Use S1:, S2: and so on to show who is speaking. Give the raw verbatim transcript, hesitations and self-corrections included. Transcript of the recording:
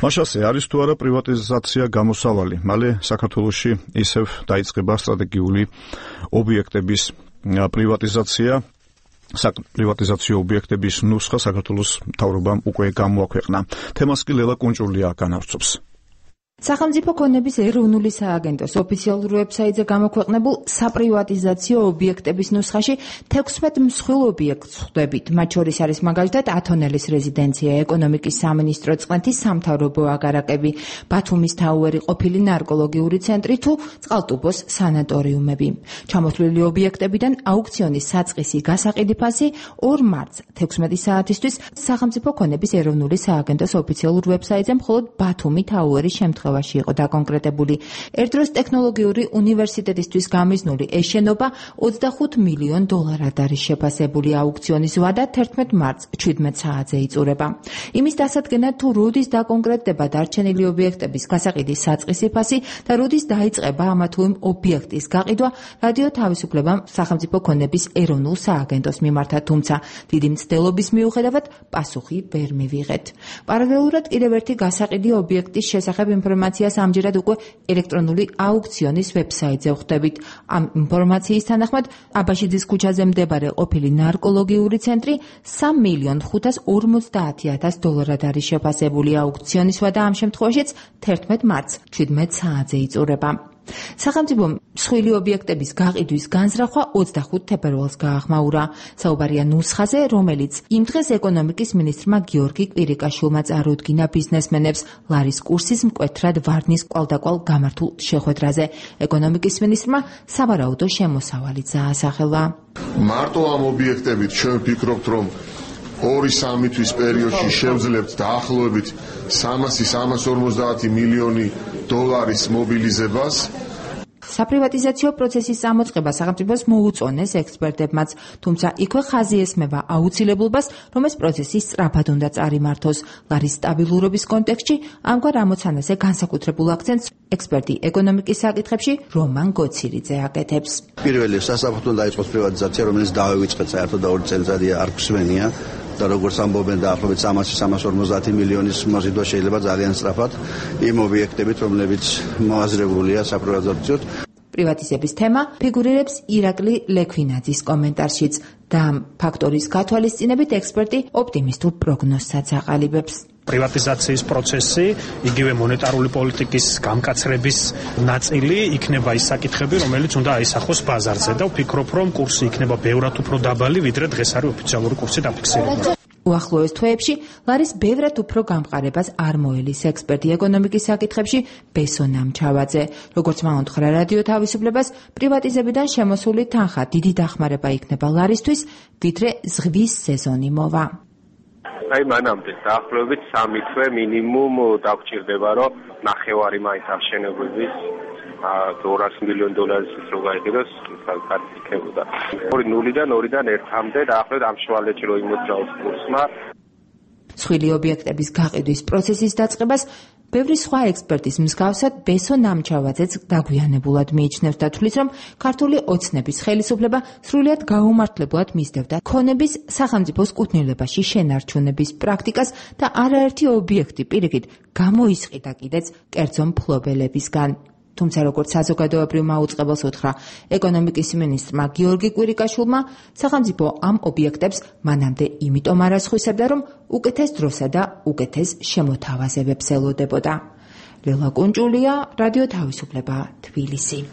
S1: მაშასე არის თუ არა პრივატიზაცია გამოსავალი? მალე საქართველოში ისევ დაიწყება სტრატეგიული ობიექტების პრივატიზაცია. Პრივატიზაციო ობიექტების ნუსხა საქართველოს მთავრობამ უკვე გამოაქვეყნა. თემას კი ლელა კუნჭულია განავრცობს.
S2: სახელმწიფო ქონების ეროვნული სააგენტოს ოფიციალურ ვებსაიტზე გამოქვეყნებულ საპრივატიზაციო ობიექტების ნუსხაში თექვსმეტ მსხვილ ობიექტს ხვდებით. მათ შორის არის მაგალითად ათონელის რეზიდენცია, ეკონომიკის სამინისტრო წყნეთის სამთავრობო აგარაკები, ბათუმის თაუერი ყოფილი ნარკოლოგიური ცენტრი თუ წყალტუბოს სანატორიუმები. ჩამოთვლილი ობიექტებიდან აუქციონის საწყისი გასაყიდი ფასი ორ მარტს თექვსმეტი საათისთვის სახელმწიფო ქონების ეროვნული სააგენტოს ოფიციალურ ვებსაიტზე მხოლოდ ბათუმი თაუერის შემთხვევაში იყო დაკონკრეტებული. ერთდროს ტექნოლოგიური უნივერსიტეტისთვის გამიზნული ეს შენობა ოცდახუთ მილიონ დოლარად არის შეფასებული. აუქციონის ვადა თერთმეტ მარტს შვიდმეტ საათზე იწურება. იმის დასადგენად თუ როდის დაკონკრეტდება დარჩენილი ობიექტების გასაყიდის საწყისი ფასი და როდის დაიწყება ამა თუ იმ ობიექტის გაყიდვა, რადიო თავისუფლებამ სახელმწიფო ქონების ეროვნულ სააგენტოს მიმართა, თუმცა დიდი მცდელობის მიუხედავად პასუხი ვერ მივიღეთ. პარალელურად კიდევ ერთი გასაყიდი ობიექტის შესახებ ინფორმაციას ამჯერად უკვე ელექტრონული აუქციონის ვებსაიტზე ხვდებით. ამ ინფორმაციის თანახმად აბაშიძის ქუჩაზე მდებარე ყოფილი ნარკოლოგიური ცენტრი სამ მილიონ ხუთას ორმოცდაათი ათას დოლარად არის შეფასებული. აუქციონის ვადა ამ შემთხვევაშიც თერთმეტ მარტს შვიდმეტ საათზე იწურება. სახელმწიფო მსხვილი ობიექტების გაყიდვის განზრახვა ოცდახუთ თებერვალს გაახმაურა. საუბარია ნუსხაზე, რომელიც იმ დღეს ეკონომიკის მინისტრმა გიორგი კვირიკაშვილმა წარუდგინა ბიზნესმენებს ლარის კურსის მკვეთრად ვარნის კვალდაკვალ გამართულ შეხვედრაზე. ეკონომიკის მინისტრმა სავარაუდო შემოსავალიც აასახელა.
S3: მარტო ამ ობიექტებით ჩვენ ვფიქრობთ, რომ ორი სამი თვის პერიოდში შევძლებთ დაახლოებით სამასი სამას ორმოცდაათი მილიონი დოლარის მობილიზებას.
S2: საპრივატიზაციო პროცესის წამოწყება სახელმწიფოს მოუწონეს ექსპერტებმაც, თუმცა იქვე ხაზი ესმევა აუცილებლობას, რომ ეს პროცესი სწრაფად უნდა წარიმართოს. ლარის სტაბილურობის კონტექსტში ამგვარ ამოცანაზე განსაკუთრებულ აქცენტს ექსპერტი ეკონომიკის საკითხებში რომან გოცირიძე აკეთებს.
S4: პირველი სასწრაფოდ დაიწყოს პრივატიზაცია, რომელიც დავივიწყეთ საერთოდ და ორი წელიწადია არ გვსმენია. და როგორც ამბობენ დაახლოებით სამასი სამას ორმოცდაათი მილიონის მოზიდვა შეიძლება ძალიან სწრაფად იმ ობიექტებით, რომლებიც მოაზრებულია საპრივატიზაციოდ.
S2: პრივატიზების თემა ფიგურირებს ირაკლი ლექვინაძის კომენტარშიც და ამ ფაქტორის გათვალისწინებით ექსპერტი ოპტიმისტურ პროგნოზსაც აყალიბებს.
S5: პრივატიზაციის პროცესი, იგივე მონეტარული პოლიტიკის გამკაცრების ნაწილი იქნება ის საკითხები, რომელიც უნდა აისახოს ბაზარზე და ვფიქრობ, რომ კურსი იქნება ბევრად უფრო დაბალი, ვიდრე დღეს არის ოფიციალური კურსი დაფიქსირებული.
S2: უახლოეს თვეებში ლარის ბევრად უფრო გამყარებას არ მოელის ექსპერტი ეკონომიკის საკითხებში ბესო ნამჩავაძე. როგორც მაუნთხრა რადიო თავისუფლებას, პრივატიზებიდან შემოსული თანხა დიდი დახმარება იქნება ლარისთვის, ვიდრე ზღვის სეზონი მოვა.
S6: აი მანამდე დაახლოებით სამი თვე მინიმუმ დაგჭირდება, რომ ნახევარი მაინც აღშენებების ორას მილიონ დოლარის რო გაიყიდოს, კარგი იქნებოდა. ორი ნულიდან ორიდან ერთამდე დაახლოებით ამ შუალედში რო იმოძრაოს კურსმა.
S2: მსხვილი ობიექტების გაყიდვის პროცესის დაწყებას ბევრი სხვა ექსპერტის მსგავსად ბესო ნამჩავაძეც დაგვიანებულად მიიჩნევს და თვლის, რომ ქართული ოცნების ხელისუფლება სრულიად გაუმართლებლად მისდევდა ქონების სახელმწიფოს კუთვნილებაში შენარჩუნების პრაქტიკას და არაერთი ობიექტი პირიქით გამოისყიდა კიდეც კერძო მფლობელებისგან. თუმცა როგორც საზოგადოებრივმა აუწყებელს უთხრა ეკონომიკის მინისტრმა გიორგი კვირიკაშვილმა, სახელმწიფო ამ ობიექტებს მანამდე იმიტომ არ ასხვისებდა, რომ უკეთეს დროსა და უკეთეს შემოთავაზებებს ელოდებოდა. ლელა კუნჭულია, რადიო თავისუფლება, თბილისი.